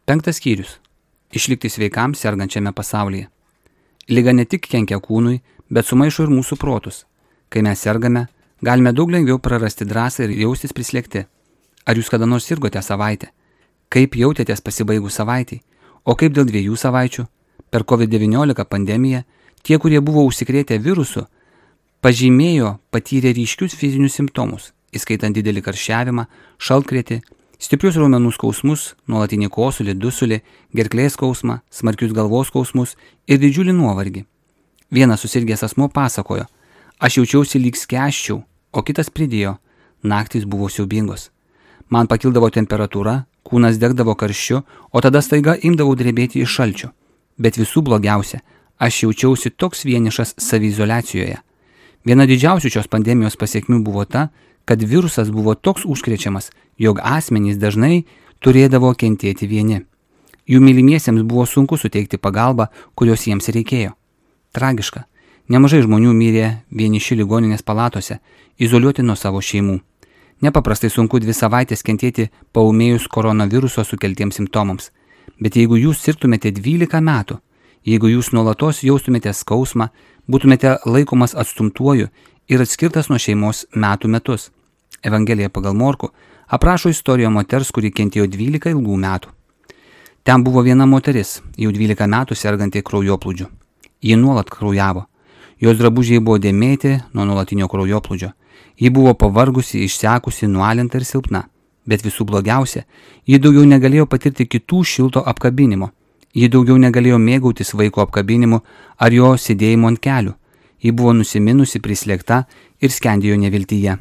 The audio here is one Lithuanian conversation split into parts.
5 skyrius. Išlikti sveikam sergančiame pasaulyje. Liga ne tik kenkia kūnui, bet sumaišo ir mūsų protus. Kai mes sergame, galime daug lengviau prarasti drąsą ir jaustis prislėgti. Ar jūs kada nors sirgote savaitę? Kaip jautėtės pasibaigus savaitei? O kaip dėl 2 savaičių? Per COVID-19 pandemiją tie, kurie buvo užsikrėtę virusu, patyrė ryškius fizinius simptomus, įskaitant didelį karščiavimą, šaltkrėtį, stiprius raumenų skausmus, nuolatinį kosulį, dusulį, gerklės skausmą, smarkius galvos skausmus ir didžiulį nuovargį. Vienas susirgęs asmuo pasakojo: aš jaučiausi lyg skęsčiau, o kitas pridėjo: naktys buvo siaubingos. Man pakildavo temperatūra, kūnas degdavo karščiu, o tada staiga imdavau drebėti iš šalčio. Bet visų blogiausia, aš jaučiausi toks vienišas saviizoliacijoje. Viena didžiausių šios pandemijos pasiekmių buvo ta, kad virusas buvo toks užkrečiamas, jog asmenys dažnai turėdavo kentėti vieni. Jų mylimiesiems buvo sunku suteikti pagalbą, kurios jiems reikėjo. Tragiška. Nemažai žmonių mirė vieniši ligoninės palatose, izoliuoti nuo savo šeimų. Nepaprastai sunku 2 savaitės kentėti paūmėjus koronaviruso sukeltiems simptomams. Bet jeigu jūs sirgtumėte 12 metų, jeigu jūs nuolatos jaustumėte skausmą, būtumėte laikomas atstumtuoju ir atskirtas nuo šeimos metus. Evangelija pagal Morkų aprašo istoriją moters, kuri kentėjo 12 ilgų metų. Ten buvo viena moteris, jau 12 metų serganti kraujoplūdžiu. Ji nuolat kraujavo. Jos drabužiai buvo dėmėti nuo nuolatinio kraujoplūdžio. Ji buvo pavargusi, išsekusi, nualinta ir silpna. Bet visų blogiausia, ji daugiau negalėjo patirti kitų šilto apkabinimo. Ji daugiau negalėjo mėgautis vaiko apkabinimu ar jo sėdėjimo ant kelių. Ji buvo nusiminusi, prislėgta ir skendėjo neviltyje.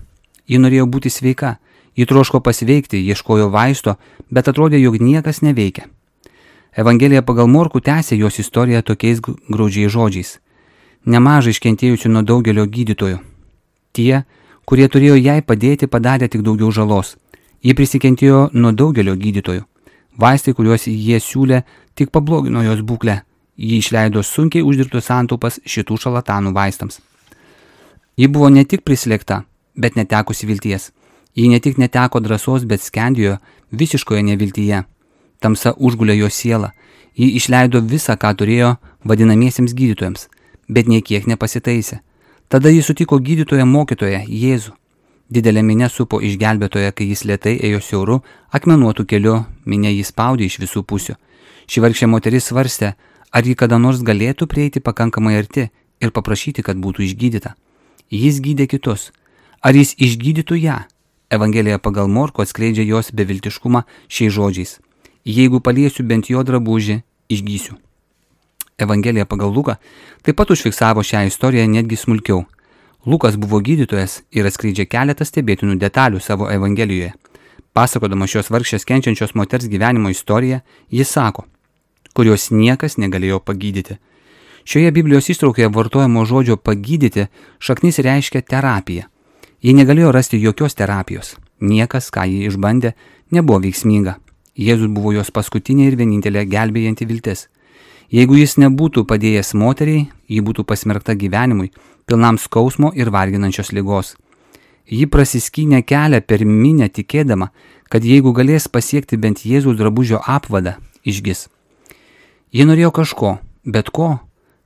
Ji norėjo būti sveika, ji troško pasveikti, ieškojo vaisto, bet atrodė, jog niekas neveikia. Evangelija pagal Morkų tęsė jos istoriją tokiais graudžiais žodžiais. Nemažai iškentėjusių nuo daugelio gydytojų. Tie, kurie turėjo jai padėti, padarė tik daugiau žalos. Ji prisikentėjo nuo daugelio gydytojų. Vaistai, kuriuos jie siūlė, tik pablogino jos būklę. Ji išleido sunkiai uždirbtus santaupas šitų šarlatanų vaistams. Ji buvo ne tik prislėgta, bet netekusi vilties. Ji ne tik neteko drąsos, bet skendėjo visiškoje neviltyje. Tamsa užgulė jo sielą. Ji išleido visą, ką turėjo vadinamiesiems gydytojams, bet niekiek nepasitaisė. Tada ji sutiko gydytoją mokytoją Jėzų. Didelė minia supo išgelbėtoją, kai jis lėtai ėjo siauru, akmenuotų keliu, minia jį spaudė iš visų pusių. Ši vargšė moteris svarstė, ar ji kada nors galėtų prieiti pakankamai arti ir paprašyti, kad būtų išgydyta. Jis gydė kitus. Ar jis išgydytų ją? Evangelija pagal Morkų atskleidžia jos beviltiškumą šiais žodžiais. Jeigu paliesiu bent jo drabužį, išgysiu. Evangelija pagal Luką taip pat užfiksavo šią istoriją netgi smulkiau. Lukas buvo gydytojas ir atskleidžia keletą stebėtinų detalių savo Evangelijoje. Pasakodama šios vargšės kenčiančios moters gyvenimo istoriją, jis sako, kurios niekas negalėjo pagydyti. Šioje Biblijos ištraukoje vartojamo žodžio pagydyti šaknis reiškia terapiją. Ji negalėjo rasti jokios terapijos. Niekas, ką ji išbandė, nebuvo veiksminga. Jėzus buvo jos paskutinė ir vienintelė gelbėjanti viltis. Jeigu jis nebūtų padėjęs moteriai, ji būtų pasmerkta gyvenimui, pilnam skausmo ir varginančios ligos. Ji prasiskynė kelią per minią tikėdama, kad jeigu galės pasiekti bent Jėzaus drabužio apvadą, išgis. Ji norėjo kažko, bet ko,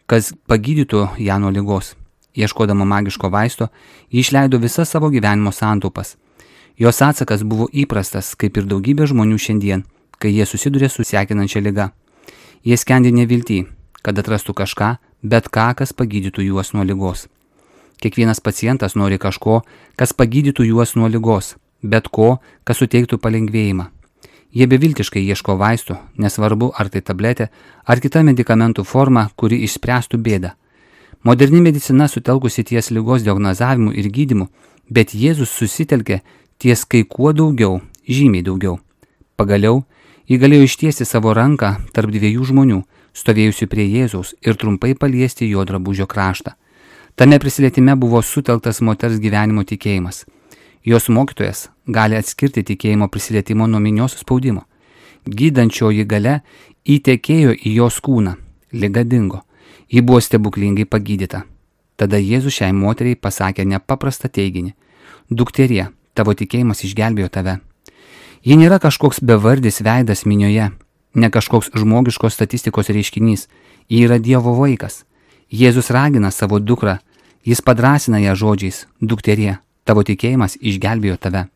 kas pagydytų ją nuo ligos. Ieškodama magiško vaisto, ji išleido visas savo gyvenimo santaupas. Jos atsakas buvo įprastas, kaip ir daugybė žmonių šiandien, kai jie susiduria su sekinančia liga. Jie skendi neviltį, kad atrastų kažką, bet ką, kas pagydytų juos nuo ligos. Kiekvienas pacientas nori kažko, kas pagydytų juos nuo ligos, bet ko, kas suteiktų palengvėjimą. Jie beviltiškai ieško vaistų, nesvarbu ar tai tabletė, ar kita medikamentų forma, kuri išspręstų bėdą. Moderni medicina sutelkusi ties ligos diagnozavimu ir gydymu, bet Jėzus susitelkė ties kai kuo daugiau, žymiai daugiau. Pagaliau, ji galėjo ištiesti savo ranką tarp 2 žmonių, stovėjusių prie Jėzaus ir trumpai paliesti jo drabužio kraštą. Tame prisilietime buvo sutelktas moters gyvenimo tikėjimas. Jos mokytojas gali atskirti tikėjimo prisilietimo nuo minios spaudimo. Gydančioji galia įtekėjo į jos kūną, liga dingo. Ji buvo stebuklingai pagydyta. Tada Jėzus šiai moteriai pasakė nepaprastą teiginį. Dukterie, tavo tikėjimas išgelbėjo tave. Ji nėra kažkoks bevardis veidas minioje. ne kažkoks žmogiškos statistikos reiškinys, ji yra Dievo vaikas. Jėzus ragina savo dukrą, jis padrąsina ją žodžiais: dukterie, tavo tikėjimas išgelbėjo tave.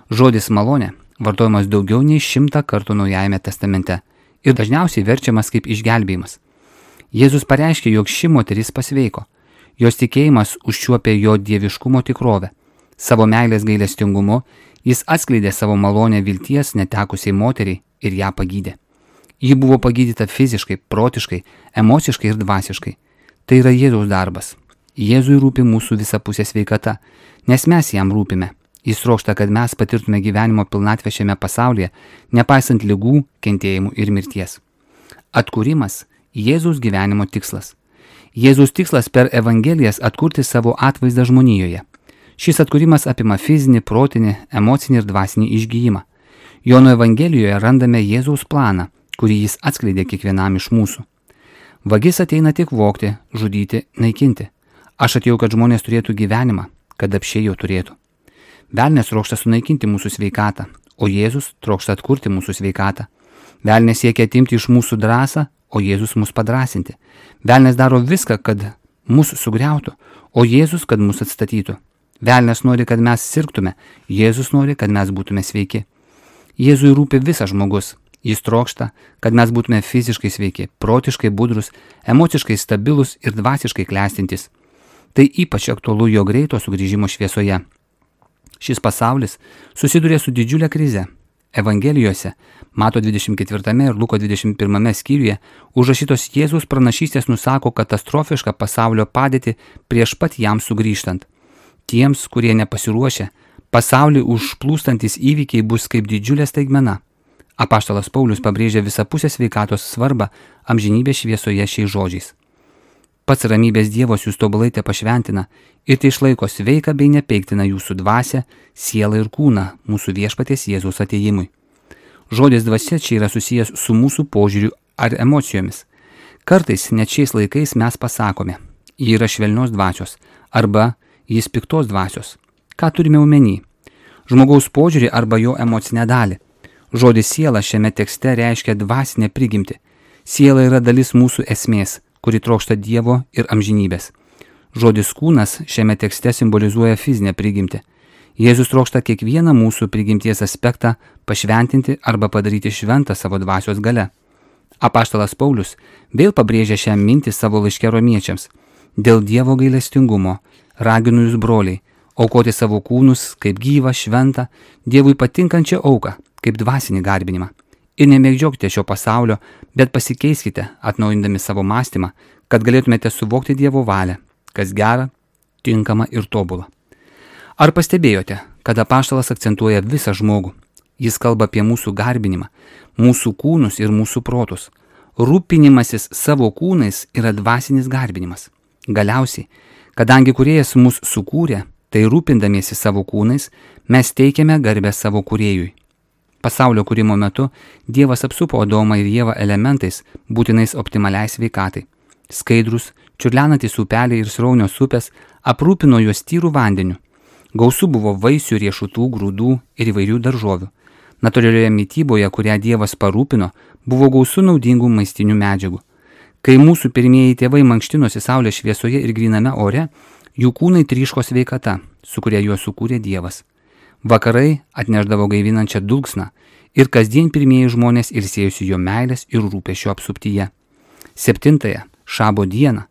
Žodis malonė vartojamas daugiau nei 100 kartų Naujajame testamente ir dažniausiai verčiamas kaip išgelbėjimas. Jėzus pareiškė, jog ši moteris pasveiko. Jos tikėjimas užčiuopė jo dieviškumo tikrovę. Savo meilės gailestingumu jis atskleidė savo malonę vilties netekusiai moteriai ir ją pagydė. Ji buvo pagydyta fiziškai, protiškai, emociškai ir dvasiškai. Tai yra Jėzaus darbas. Jėzui rūpi mūsų visapusė sveikata, nes mes jam rūpime. Jis trokšta, kad mes patirtume gyvenimo pilnatvę šiame pasaulyje, nepaisant ligų, kentėjimų ir mirties. Atkūrimas – Jėzaus gyvenimo tikslas. Jėzaus tikslas per Evangelijas atkurti savo atvaizdą žmonijoje. Šis atkūrimas apima fizinį, protinį, emocinį ir dvasinį išgijimą. Jono Evangelijoje randame Jėzaus planą, kurį jis atskleidė kiekvienam iš mūsų. Vagis ateina tik vogti, žudyti, naikinti. Aš atėjau, kad žmonės turėtų gyvenimą, kad apsčiai jo turėtų. Velnias trokšta sunaikinti mūsų sveikatą, o Jėzus trokšta atkurti mūsų sveikatą. Velnias siekia atimti iš mūsų drąsą, o Jėzus mus padrąsinti. Velnias daro viską, kad mus sugriautų, o Jėzus, kad mus atstatytų. Velnias nori, kad mes sirgtume, Jėzus nori, kad mes būtume sveiki. Jėzui rūpi visas žmogus. Jis trokšta, kad mes būtume fiziškai sveiki, protiškai budrus, emociškai stabilus ir dvasiškai klestintis. Tai ypač aktualu jo greito sugrįžimo šviesoje. Šis pasaulis susiduria su didžiulė krize. Evangelijose, Mato 24 ir Luko 21 skyriuje, užrašytos Jėzaus pranašystės nusako katastrofišką pasaulio padėtį prieš pat jam sugrįžtant. Tiems, kurie nepasiruošę, pasaulį užplūstantis įvykiai bus kaip didžiulė staigmena. Apaštalas Paulius pabrėžia visapusę sveikatos svarbą amžinybės šviesoje šiais žodžiais. Pats ramybės Dievas jūs tobulai te pašventina ir tai išlaiko sveiką bei nepeiktina jūsų dvasią, sielą ir kūną mūsų viešpaties Jėzaus atėjimui. Žodis dvasia čia yra susijęs su mūsų požiūriu ar emocijomis. Kartais net šiais laikais mes pasakome, ji yra švelnios dvasios arba jis piktos dvasios. Ką turime omeny? Žmogaus požiūrį arba jo emocinę dalį. Žodis siela šiame tekste reiškia dvasinę prigimtį. Siela yra dalis mūsų esmės, kuri trokšta Dievo ir amžinybės. Žodis kūnas šiame tekste simbolizuoja fizinę prigimtį. Jėzus trokšta kiekvieną mūsų prigimties aspektą pašventinti arba padaryti šventą savo dvasios gale. Apaštalas Paulius vėl pabrėžia šią mintį savo laiške romiečiams. Dėl Dievo gailestingumo raginu jūs, broliai, aukoti savo kūnus kaip gyvą, šventą, Dievui patinkančią auką, kaip dvasinį garbinimą. Ir nemėgdžiokite šio pasaulio, bet pasikeiskite, atnaujindami savo mąstymą, kad galėtumėte suvokti Dievo valią, kas gera, tinkama ir tobula. Ar pastebėjote, kad apaštalas akcentuoja visą žmogų? Jis kalba apie mūsų garbinimą, mūsų kūnus ir mūsų protus. Rūpinimasis savo kūnais yra dvasinis garbinimas. Galiausiai, kadangi Kūrėjas mus sukūrė, tai rūpindamiesi savo kūnais, mes teikiame garbę savo Kūrėjui. Pasaulio kūrimo metu Dievas apsupo Adomą ir Ievą elementais būtinais optimaliai sveikatai. Skaidrus, čiurlenantys upeliai ir sraunios upės aprūpino juos tyrų vandeniu. Gausu buvo vaisių, riešutų, grūdų ir įvairių daržovių. Natūralioje mityboje, kurią Dievas parūpino, buvo gausu naudingų maistinių medžiagų. Kai mūsų pirmieji tėvai mankštinosi saulės šviesoje ir gryname ore, jų kūnai tryško sveikata, su kuria juos sukūrė Dievas. Vakarai atneždavo gaivinančią dulksną ir kasdien pirmieji žmonės ilsėjosi jo meilės ir rūpesčio apsuptyje. 7-ąją Šabo dieną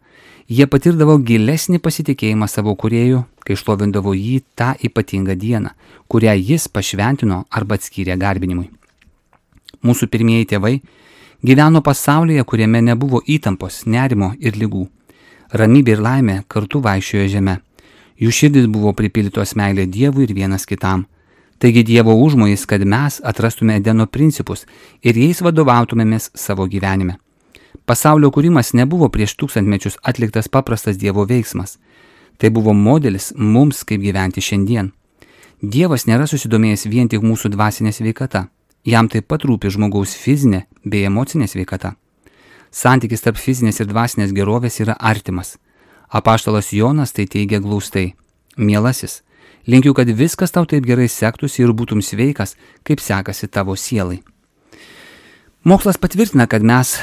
jie patirdavo gilesnį pasitikėjimą savo Kūrėju, kai šlovindavo jį tą ypatingą dieną, kurią jis pašventino arba atskyrė garbinimui. Mūsų pirmieji tėvai gyveno pasaulyje, kuriame nebuvo įtampos, nerimo ir ligų. Ramybė ir laimė kartu vaikščiojo žeme. Jų širdis buvo pripildytos meilė Dievui ir vienas kitam. Taigi Dievo užmojis, kad mes atrastume Edeno principus ir jais vadovautumėmės savo gyvenime. Pasaulio kūrimas nebuvo prieš 1000 mečius atliktas paprastas Dievo veiksmas. Tai buvo modelis mums, kaip gyventi šiandien. Dievas nėra susidomėjęs vien tik mūsų dvasinė sveikata. Jam taip pat rūpi žmogaus fizinė bei emocinė sveikata. Santykis tarp fizinės ir dvasinės gerovės yra artimas. Apaštalas Jonas tai teigia glaustai. Mielasis, linkiu, kad viskas tau taip gerai sektųsi ir būtum sveikas, kaip sekasi tavo sielai. Mokslas patvirtina, kad mes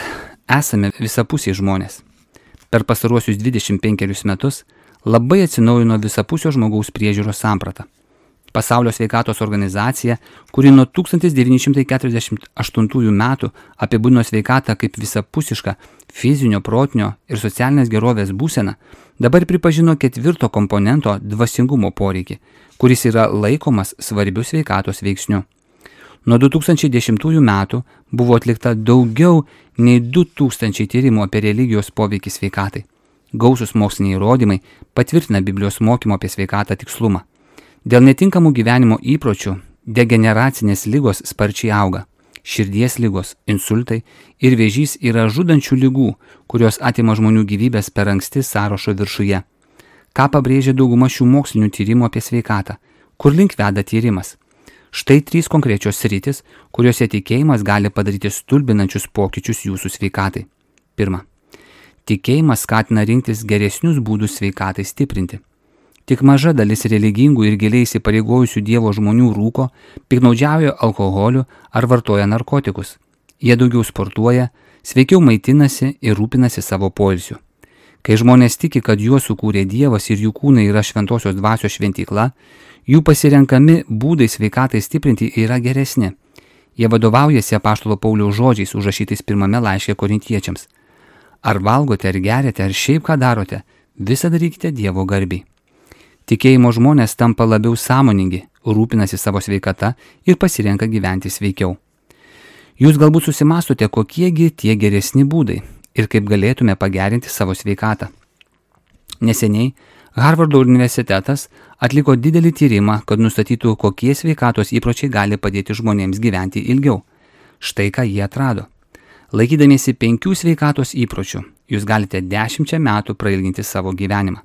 esame visapusiai žmonės. Per pastaruosius 25 metus labai atsinaujino visapusio žmogaus priežiūros samprata. Pasaulio sveikatos organizacija, kuri nuo 1948 metų apibūdino sveikatą kaip visapusišką fizinio, protinio ir socialinės gerovės būseną, dabar pripažino 4 komponento dvasingumo poreikį, kuris yra laikomas svarbiu sveikatos veiksniu. Nuo 2010 metų buvo atlikta daugiau nei 2000 tyrimų apie religijos poveikį sveikatai. Gausus moksliniai įrodymai patvirtina Biblijos mokymo apie sveikatą tikslumą. Dėl netinkamų gyvenimo įpročių degeneracinės ligos sparčiai auga. Širdies ligos, insultai ir vėžys yra žudančių ligų, kurios atima žmonių gyvybės per anksti sąrašo viršuje. Ką pabrėžia dauguma šių mokslinių tyrimų apie sveikatą? Kur link veda tyrimas? Štai 3 konkrečios sritis, kuriuose tikėjimas gali padaryti stulbinančius pokyčius jūsų sveikatai. 1. Tikėjimas skatina rinktis geresnius būdus sveikatai stiprinti. Tik maža dalis religingų ir giliai įsipareigojusių Dievo žmonių rūko, piktnaudžiauja alkoholiu ar vartoja narkotikus. Jie daugiau sportuoja, sveikiau maitinasi ir rūpinasi savo poilsiu. Kai žmonės tiki, kad juos sukūrė Dievas ir jų kūnai yra šventosios dvasios šventykla, jų pasirenkami būdai sveikatai stiprinti yra geresni. Jie vadovaujasi apaštalo Pauliaus žodžiais užrašytais 1 laiške Korintiečiams. Ar valgote, ar geriate, ar šiaip ką darote, visą darykite Dievo garbei. Tikėjimo žmonės tampa labiau sąmoningi, rūpinasi savo sveikata ir pasirenka gyventi sveikiau. Jūs galbūt susimastote, kokiegi tie geresni būdai ir kaip galėtume pagerinti savo sveikatą. Neseniai Harvardo universitetas atliko didelį tyrimą, kad nustatytų, kokie sveikatos įpročiai gali padėti žmonėms gyventi ilgiau. Štai ką jie atrado. Laikydamiesi 5 sveikatos įpročių, jūs galite 10 metų prailginti savo gyvenimą.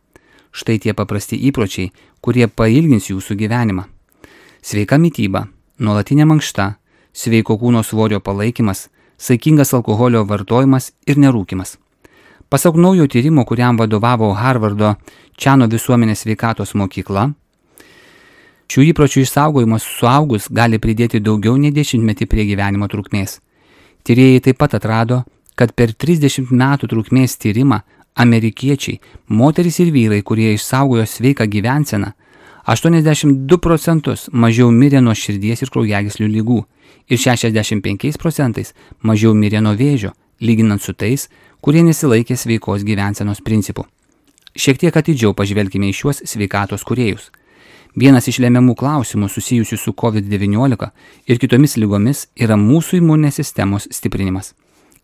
Štai tie paprasti įpročiai, kurie pailgins jūsų gyvenimą. Sveika mityba, nuolatinė mankšta, sveiko kūno svorio palaikymas, saikingas alkoholio vartojimas ir nerūkymas. Pasak naujo tyrimo, kuriam vadovavo Harvardo Čiano visuomenės sveikatos mokykla, šių įpročių išsaugojimas suaugus gali pridėti daugiau nei 10 prie gyvenimo trukmės. Tyrėjai taip pat atrado, kad per 30 metų trukmės tyrimą amerikiečiai, moterys ir vyrai, kurie išsaugojo sveiką gyvenseną, 82% mažiau mirė nuo širdies ir kraujagyslių ligų ir 65% mažiau mirė nuo vėžio, lyginant su tais, kurie nesilaikė sveikos gyvensenos principų. Šiek tiek atidžiau pažvelkime į šiuos sveikatos kūrėjus. Vienas iš lemiamų klausimų susijusių su COVID-19 ir kitomis ligomis yra mūsų imuninės sistemos stiprinimas.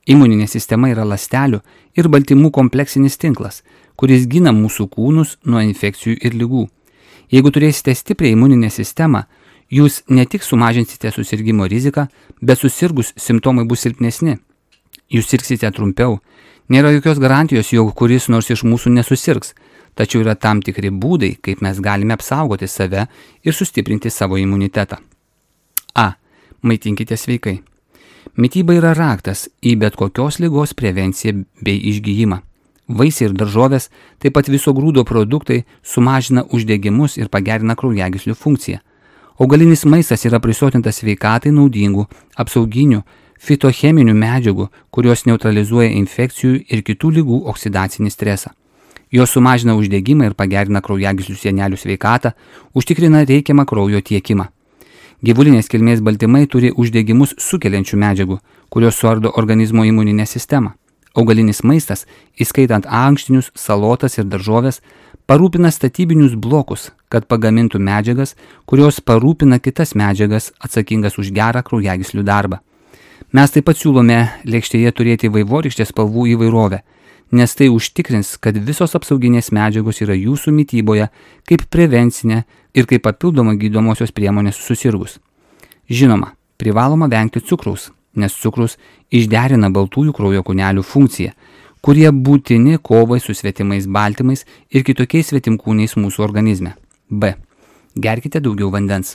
Imuninė sistema yra ląstelių ir baltymų kompleksinis tinklas, kuris gina mūsų kūnus nuo infekcijų ir ligų. Jeigu turėsite stiprią imuninę sistemą, jūs ne tik sumažinsite susirgimo riziką, bet susirgus simptomai bus silpnesni. Jūs sirgsite trumpiau. Nėra jokios garantijos, jog kuris nors iš mūsų nesusirgs, tačiau yra tam tikri būdai, kaip mes galime apsaugoti save ir sustiprinti savo imunitetą. A. Maitinkite sveikai. Mityba yra raktas į bet kokios ligos prevenciją bei išgijimą. Vaisiai ir daržovės, taip pat viso grūdo produktai sumažina uždegimus ir pagerina kraujagyslių funkciją. Augalinis maistas yra prisotintas sveikatai naudingų, apsauginių, fitocheminių medžiagų, kurios neutralizuoja infekcijų ir kitų ligų oksidacinį stresą. Jos sumažina uždegimą ir pagerina kraujagyslių sienelių sveikatą, užtikrina reikiamą kraujo tiekimą. Gyvulinės kilmės baltymai turi uždegimus sukeliančių medžiagų, kurios suardo organizmo imuninę sistemą. Augalinis maistas, įskaitant ankštinius, salotas ir daržovės, parūpina statybinius blokus, kad pagamintų medžiagas, kurios parūpina kitas medžiagas atsakingas už gerą kraujagyslių darbą. Mes taip pat siūlome lėkštėje turėti vaivorykštės spalvų įvairovę, nes tai užtikrins, kad visos apsauginės medžiagos yra jūsų mityboje kaip prevencinė ir kaip papildoma gydomosios priemonės susirgus. Žinoma, privaloma vengti cukraus, nes cukrus išderina baltųjų kraujo kūnelių funkciją, kurie būtini kovai su svetimais baltymais ir kitokiais svetimkūniais mūsų organizme. B. Gerkite daugiau vandens.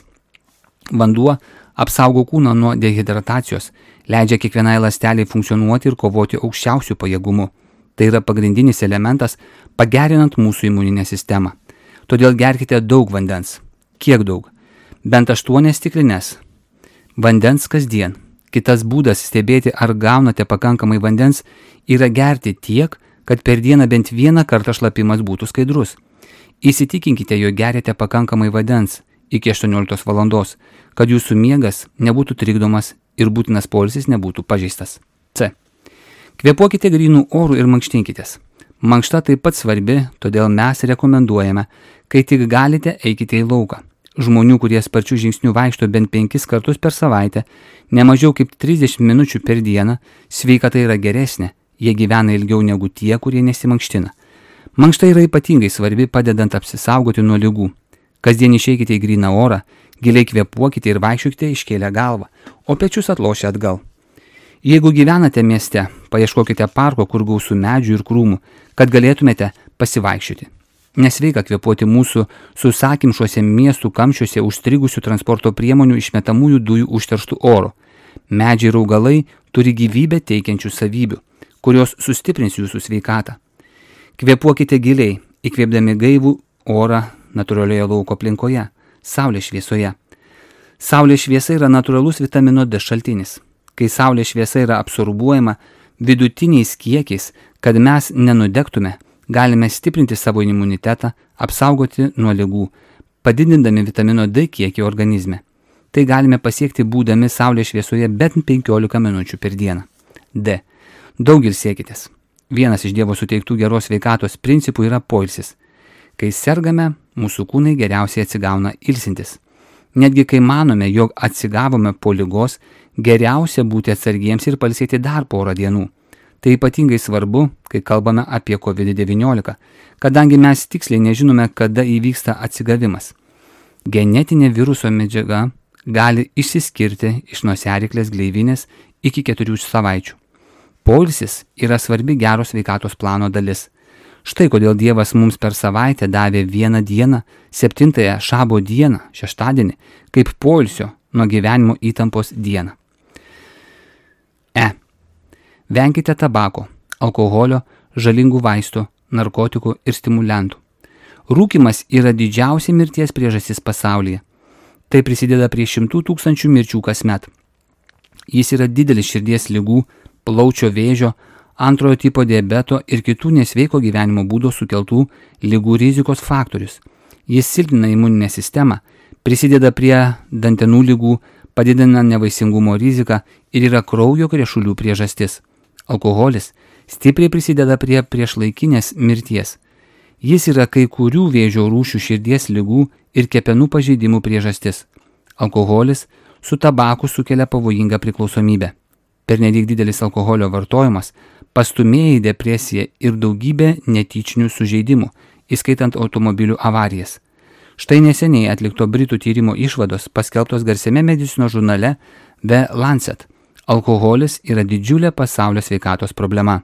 Vanduo apsaugo kūną nuo dehidratacijos, leidžia kiekvienai ląsteliai funkcionuoti ir kovoti aukščiausių pajėgumų. Tai yra pagrindinis elementas pagerinant mūsų imuninę sistemą. Todėl gerkite daug vandens. Kiek daug? Bent 8 stiklines vandens kasdien. Kitas būdas stebėti, ar gaunate pakankamai vandens, yra gerti tiek, kad per dieną bent vieną kartą šlapimas būtų skaidrus. Įsitikinkite, jog geriate pakankamai vandens iki 18 valandos, kad jūsų miegas nebūtų trikdomas ir būtinas poilsis nebūtų pažeistas. C. Kvėpuokite grynų orų ir mankštinkitės. Mankšta taip pat svarbi, todėl mes rekomenduojame, kai tik galite, eikite į lauką. Žmonių, kurie sparčių žingsnių vaikšto bent 5 kartus per savaitę, ne mažiau kaip 30 minučių per dieną, sveikata yra geresnė, jie gyvena ilgiau negu tie, kurie nesimankština. Mankšta yra ypatingai svarbi, padedant apsisaugoti nuo ligų. Kasdien išeikite į gryną orą, giliai kvėpuokite ir vaikščiokite iškėlę galvą, o pečius atlošę atgal. Jeigu gyvenate mieste, paieškokite parko, kur gausų medžių ir krūmų, kad galėtumėte pasivaikščioti. Nesveika kvėpuoti mūsų susakimšuose miestų kamščiuose užstrigusių transporto priemonių išmetamųjų dujų užterštų oro. Medžiai ir augalai turi gyvybę teikiančių savybių, kurios sustiprins jūsų sveikatą. Kvėpuokite giliai, įkvėpdami gaivų orą natūralioje lauko aplinkoje, saulės šviesoje. Saulės šviesa yra natūralus vitamino D šaltinis. Kai saulės šviesa yra absorbuojama vidutiniais kiekiais, kad mes nenudegtume, galime stiprinti savo imunitetą, apsaugoti nuo ligų, padidindami vitamino D kiekį organizme. Tai galime pasiekti būdami saulės šviesoje bent 15 minučių per dieną. D. Daug ilsėkitės. Vienas iš Dievo suteiktų geros sveikatos principų yra poilsis. Kai sergame, mūsų kūnai geriausiai atsigauna ilsintis. Netgi kai manome, jog atsigavome po ligos, geriausia būti atsargiems ir pailsėti dar porą dienų. Tai ypatingai svarbu, kai kalbame apie COVID-19, kadangi mes tiksliai nežinome, kada įvyksta atsigavimas. Genetinė viruso medžiaga gali išsiskirti iš nosiaryklės gleivinės iki 4 savaičių. Poilsis yra svarbi geros sveikatos plano dalis. Štai kodėl Dievas mums per savaitę davė 1 dieną, 7 šabo dieną, šeštadienį, kaip poilsio nuo gyvenimo įtampos dieną. E. Venkite tabako, alkoholio, žalingų vaistų, narkotikų ir stimulantų. Rūkymas yra didžiausia mirties priežastis pasaulyje. Tai prisideda prie 100 000 mirčių kasmet. Jis yra didelis širdies ligų, plaučio vėžio, antrojo tipo diabeto ir kitų nesveiko gyvenimo būdo sukeltų ligų rizikos faktorius. Jis silpnina imuninę sistemą, prisideda prie dantenų ligų, padidina nevaisingumo riziką ir yra kraujo krešulių priežastis. Alkoholis stipriai prisideda prie priešlaikinės mirties. Jis yra kai kurių vėžio rūšių širdies ligų ir kepenų pažeidimų priežastis. Alkoholis su tabaku sukelia pavojingą priklausomybę. Pernelyg didelis alkoholio vartojimas pastumėja į depresiją ir daugybę netyčinių sužeidimų, įskaitant automobilių avarijas. Štai neseniai atlikto Britų tyrimo išvados paskelbtos garsiame medicinos žurnale The Lancet. Alkoholis yra didžiulė pasaulio sveikatos problema.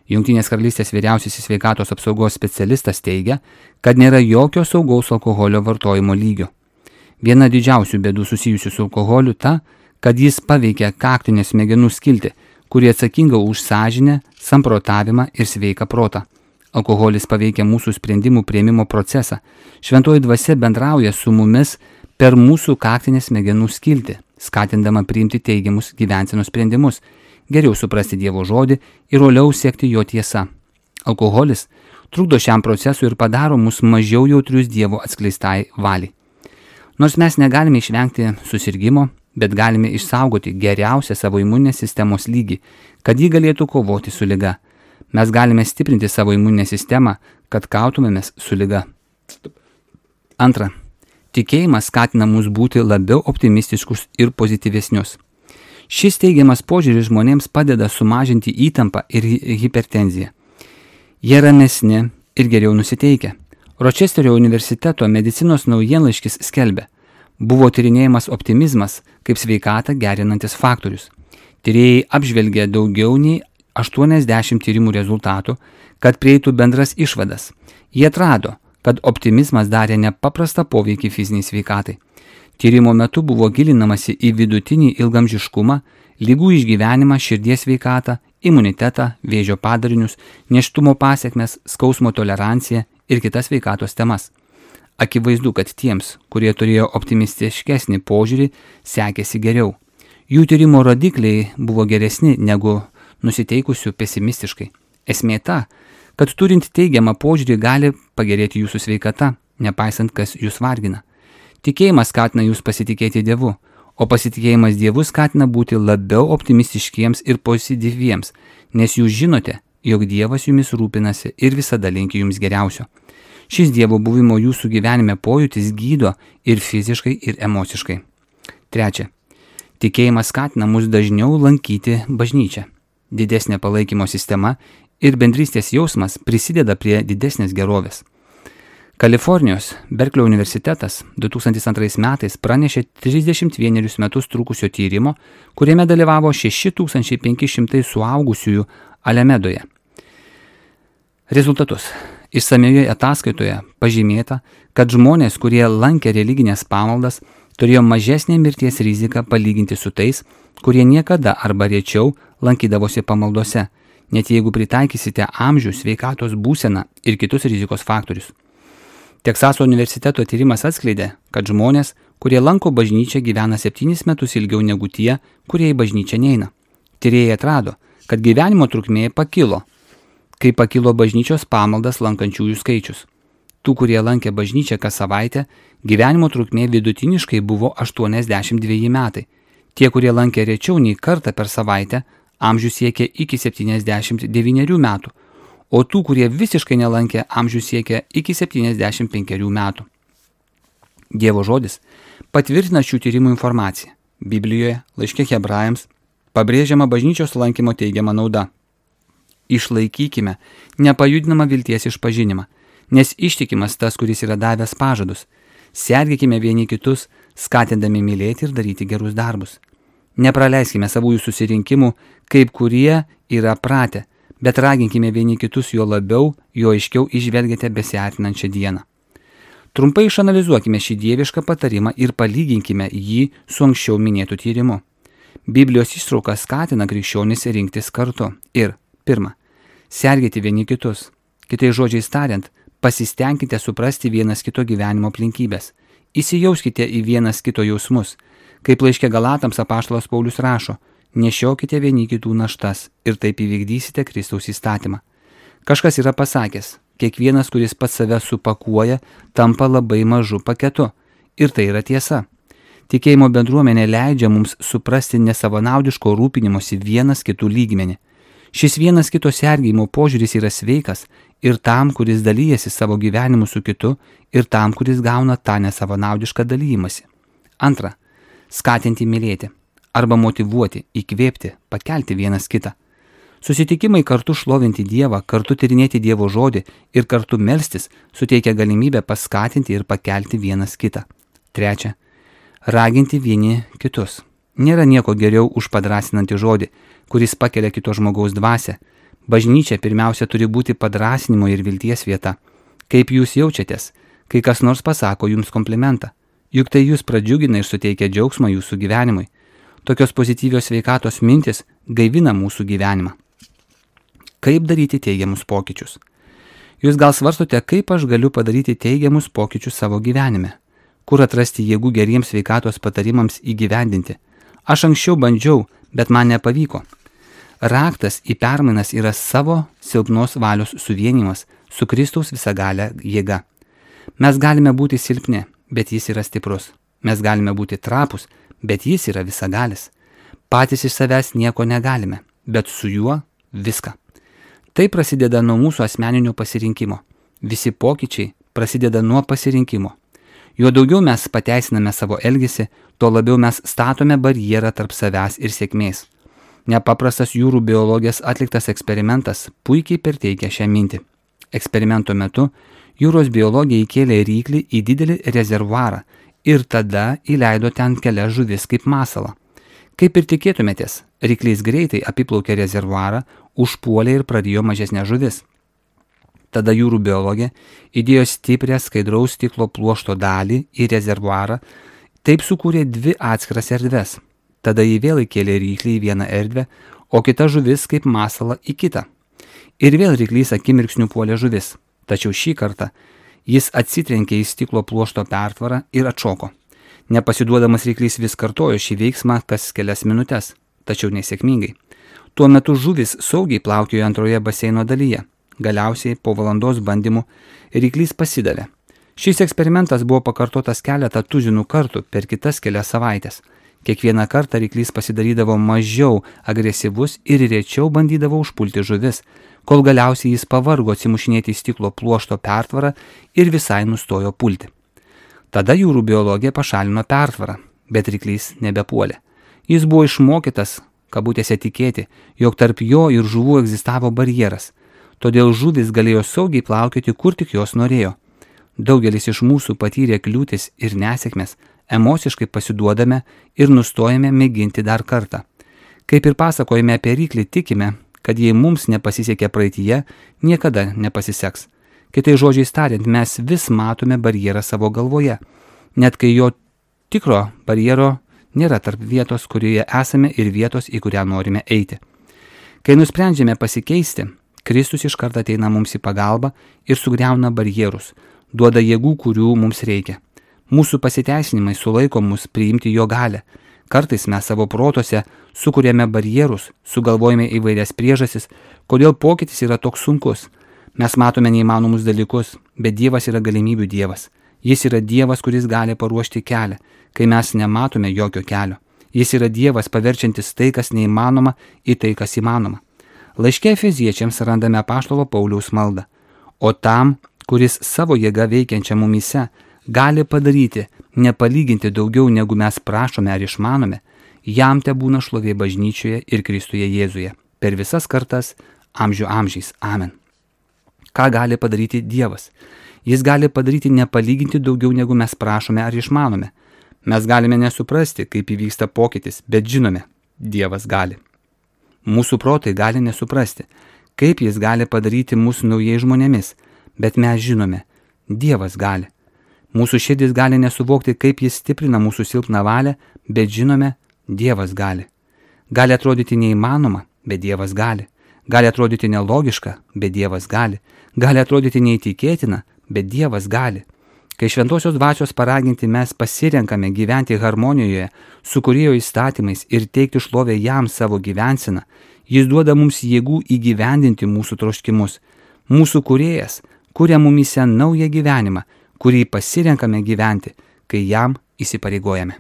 Jungtinės karalystės vyriausiasis sveikatos apsaugos specialistas teigia, kad nėra jokio saugaus alkoholio vartojimo lygio. Viena didžiausių bėdų susijusių su alkoholiu ta, kad jis paveikia kaktinę smegenų skiltį, kuri atsakinga už sąžinę, samprotavimą ir sveiką protą. Alkoholis paveikia mūsų sprendimų priėmimo procesą. Šventoji dvasia bendrauja su mumis per mūsų kaktinę smegenų skiltį, skatindama priimti teigiamus gyvensenos sprendimus, geriau suprasti Dievo žodį ir uoliau sekti jo tiesa. Alkoholis trukdo šiam procesui ir padaro mus mažiau jautrius Dievo atskleistai valiai. Nors mes negalime išvengti susirgimo, bet galime išsaugoti geriausią savo imuninės sistemos lygį, kad ji galėtų kovoti su liga. Mes galime stiprinti savo imuninę sistemą, kad kautumėmės su liga. Antra. Tikėjimas skatina mus būti labiau optimistiškus ir pozityvesnius. Šis teigiamas požiūris žmonėms padeda sumažinti įtampą ir hipertenziją. Jie ramesni ir geriau nusiteikę. Ročesterio universiteto medicinos naujienlaiškis skelbia, buvo tyrinėjamas optimizmas kaip sveikatą gerinantis faktorius. Tyrėjai apžvelgė daugiau nei 80 tyrimų rezultatų, kad prieitų bendras išvadas. Jie atrado, kad optimizmas darė nepaprastą poveikį fiziniai sveikatai. Tyrimo metu buvo gilinamasi į vidutinį ilgamžiškumą, ligų išgyvenimą, širdies sveikatą, imunitetą, vėžio padarinius, nėštumo pasekmes, skausmo toleranciją ir kitas sveikatos temas. Akivaizdu, kad tiems, kurie turėjo optimistiškesnį požiūrį, sekėsi geriau. Jų tyrimo rodikliai buvo geresni negu nusiteikusių pesimistiškai. Esmė ta, kad turint teigiamą požiūrį gali pagerėti jūsų sveikata, nepaisant kas jūs vargina. Tikėjimas skatina jūs pasitikėti Dievu, o pasitikėjimas Dievu skatina būti labiau optimistiškiems ir pozityviems, nes jūs žinote, jog Dievas jumis rūpinasi ir visada linki jums geriausio. Šis Dievo buvimo jūsų gyvenime pojūtis gydo ir fiziškai, ir emociškai. 3. Tikėjimas skatina mus dažniau lankyti bažnyčią. Didesnė palaikymo sistema ir bendrystės jausmas prisideda prie didesnės gerovės. Kalifornijos Berklio universitetas 2002 metais pranešė 31 metus trukusio tyrimo, kuriame dalyvavo 6500 suaugusiųjų Alemedoje. Rezultatus. Išsamioje ataskaitoje pažymėta, kad žmonės, kurie lankė religinės pamaldas, turėjo mažesnę mirties riziką palyginti su tais, kurie niekada arba rečiau lankydavosi pamaldose, net jeigu pritaikysite amžių, sveikatos būseną ir kitus rizikos faktorius. Teksaso universiteto tyrimas atskleidė, kad žmonės, kurie lanko bažnyčią, gyvena 7 metus ilgiau negu tie, kurie į bažnyčią neina. Tyrėjai atrado, kad gyvenimo trukmė pakilo, kai pakilo bažnyčios pamaldas lankančiųjų skaičius. Tų, kurie lankė bažnyčią kas savaitę, gyvenimo trukmė vidutiniškai buvo 82 metai. Tie, kurie lankė rečiau nei kartą per savaitę, amžius siekė iki 79 metų. O tų, kurie visiškai nelankė, amžius siekia iki 75 metų. Dievo žodis patvirtina šių tyrimų informaciją. Biblijoje, laiške Hebrajams, pabrėžiama bažnyčios lankymo teigiama nauda. Išlaikykime nepajudinamą vilties išpažinimą, nes ištikimas tas, kuris yra davęs pažadus. Sergėkime vieni kitus, skatindami mylėti ir daryti gerus darbus. Nepraleiskime savųjų susirinkimų, kaip kurie yra pratę, bet raginkime vieni kitus juo labiau, juo aiškiau išvelgiate besiartinančią dieną. Trumpai išanalizuokime šį dievišką patarimą ir palyginkime jį su anksčiau minėtu tyrimu. Biblijos ištrauka skatina krikščionis rinktis kartu ir 1. Sergėti vieni kitus. Kitais žodžiais tariant, pasistengkite suprasti vienas kito gyvenimo aplinkybės. Įsijauskite į vienas kito jausmus. Kaip laiške Galatams apaštalas Paulius rašo, nešiokite vieni kitų naštas ir taip įvykdysite Kristaus įstatymą. Kažkas yra pasakęs, kiekvienas, kuris pats save supakuoja, tampa labai mažu paketu. Ir tai yra tiesa. Tikėjimo bendruomenė leidžia mums suprasti nesavanaudiško rūpinimosi vienas kitų lygmenį. Šis vienas kito sergėjimo požiūris yra sveikas ir tam, kuris dalyjasi savo gyvenimu su kitu, ir tam, kuris gauna tą nesavanaudišką dalyjimąsi. 2. Skatinti mylėti. Arba motyvuoti, įkvėpti, pakelti vienas kitą. Susitikimai kartu šlovinti Dievą, kartu tyrinėti Dievo žodį ir kartu melstis suteikia galimybę paskatinti ir pakelti vienas kitą. 3. Raginti vieni kitus. Nėra nieko geriau už padrasinantį žodį, kuris pakelia kito žmogaus dvasią. Bažnyčia pirmiausia turi būti padrasinimo ir vilties vieta. Kaip jūs jaučiatės, kai kas nors pasako jums komplimentą? Juk tai jūs pradžiugina ir suteikia džiaugsmą jūsų gyvenimui. Tokios pozityvios sveikatos mintis gaivina mūsų gyvenimą. Kaip daryti teigiamus pokyčius? Jūs gal svarstote, kaip aš galiu padaryti teigiamus pokyčius savo gyvenime? Kur atrasti jėgų geriems sveikatos patarimams įgyvendinti? Aš anksčiau bandžiau, bet man nepavyko. Raktas į permainas yra savo silpnos valios suvienijimas su Kristaus visagalė jėga. Mes galime būti silpni, bet jis yra stiprus. Mes galime būti trapus, bet jis yra visagalis. Patys iš savęs nieko negalime, bet su juo viską. Tai prasideda nuo mūsų asmeninio pasirinkimo. Visi pokyčiai prasideda nuo pasirinkimo. Juo daugiau mes pateisiname savo elgesį, tuo labiau mes statome barjerą tarp savęs ir sėkmės. Nepaprastas jūrų biologijos atliktas eksperimentas puikiai perteikia šią mintį. Eksperimento metu jūros biologija įkėlė ryklį į didelį rezervuarą ir tada įleido ten kelias žuvis kaip masalą. Kaip ir tikėtumėtės, ryklys greitai apiplaukė rezervuarą, užpuolė ir prarijo mažesnės žuvis. Tada jūrų biologė įdėjo stiprią skaidraus stiklo pluošto dalį į rezervuarą, taip sukūrė 2 atskiras erdves. Tada jį vėl įkėlė ryklį į vieną erdvę, o kita žuvis kaip masalą į kitą. Ir vėl ryklys akimirksniu puolė žuvis, tačiau šį kartą jis atsitrenkė į stiklo pluošto pertvarą ir atšoko. Nepasiduodamas ryklys vis kartojo šį veiksmą kas kelias minutes, tačiau nesėkmingai. Tuo metu žuvis saugiai plaukiojo antroje baseino dalyje. Galiausiai po valandos bandymų ryklys pasidavė. Šis eksperimentas buvo pakartotas keletą tuzinų kartų per kitas kelias savaitės. Kiekvieną kartą ryklys pasidarydavo mažiau agresyvus ir rečiau bandydavo užpulti žuvis, kol galiausiai jis pavargo atsimušinėti į stiklo pluošto pertvarą ir visai nustojo pulti. Tada jūrų biologija pašalino pertvarą, bet ryklys nebepuolė. Jis buvo išmokytas, kabutėse, tikėti, jog tarp jo ir žuvų egzistavo barjeras. Todėl žuvis galėjo saugiai plaukioti, kur tik jos norėjo. Daugelis iš mūsų patyrė kliūtis ir nesėkmes, emociškai pasiduodame ir nustojame mėginti dar kartą. Kaip ir pasakojame apie ryklį, tikime, kad jei mums nepasisekė praeityje, niekada nepasiseks. Kitai žodžiais tariant, mes vis matome barjerą savo galvoje, net kai jo tikro barjero nėra tarp vietos, kurioje esame, ir vietos, į kurią norime eiti. Kai nusprendžiame pasikeisti, Kristus iš karto ateina mums į pagalbą ir sugriauna barjerus, duoda jėgų, kurių mums reikia. Mūsų pasiteisinimai sulaiko mus priimti jo galią. Kartais mes savo protose sukūrėme barjerus, sugalvojame įvairias priežastis, kodėl pokytis yra toks sunkus. Mes matome neįmanomus dalykus, bet Dievas yra galimybių Dievas. Jis yra Dievas, kuris gali paruošti kelią, kai mes nematome jokio kelio. Jis yra Dievas, paverčiantis tai, kas neįmanoma, į tai, kas įmanoma. Laiške Efeziečiams randame apaštalo Pauliaus maldą. O tam, kuris savo jėga veikiančia mumyse gali padaryti nepalyginti daugiau, negu mes prašome ar išmanome, jam te būna šlovė bažnyčioje ir Kristuje Jėzuje, per visas kartas, amžių amžiais. Amen. Ką gali padaryti Dievas? Jis gali padaryti nepalyginti daugiau, negu mes prašome ar išmanome. Mes galime nesuprasti, kaip įvyksta pokytis, bet žinome, Dievas gali. Mūsų protai gali nesuprasti, kaip jis gali padaryti mus naujais žmonėmis, bet mes žinome, Dievas gali. Mūsų širdis gali nesuvokti, kaip jis stiprina mūsų silpną valią, bet žinome, Dievas gali. Gali atrodyti neįmanoma, bet Dievas gali. Gali atrodyti nelogiška, bet Dievas gali. Gali atrodyti neįtikėtina, bet Dievas gali. Kai šventosios dvasios paraginti mes pasirenkame gyventi harmonijoje su Kūrėjo įstatymais ir teikti šlovę jam savo gyvenseną, jis duoda mums jėgų įgyvendinti mūsų troškimus. Mūsų Kūrėjas kuria mumyse naują gyvenimą, kurį pasirenkame gyventi, kai jam įsipareigojame.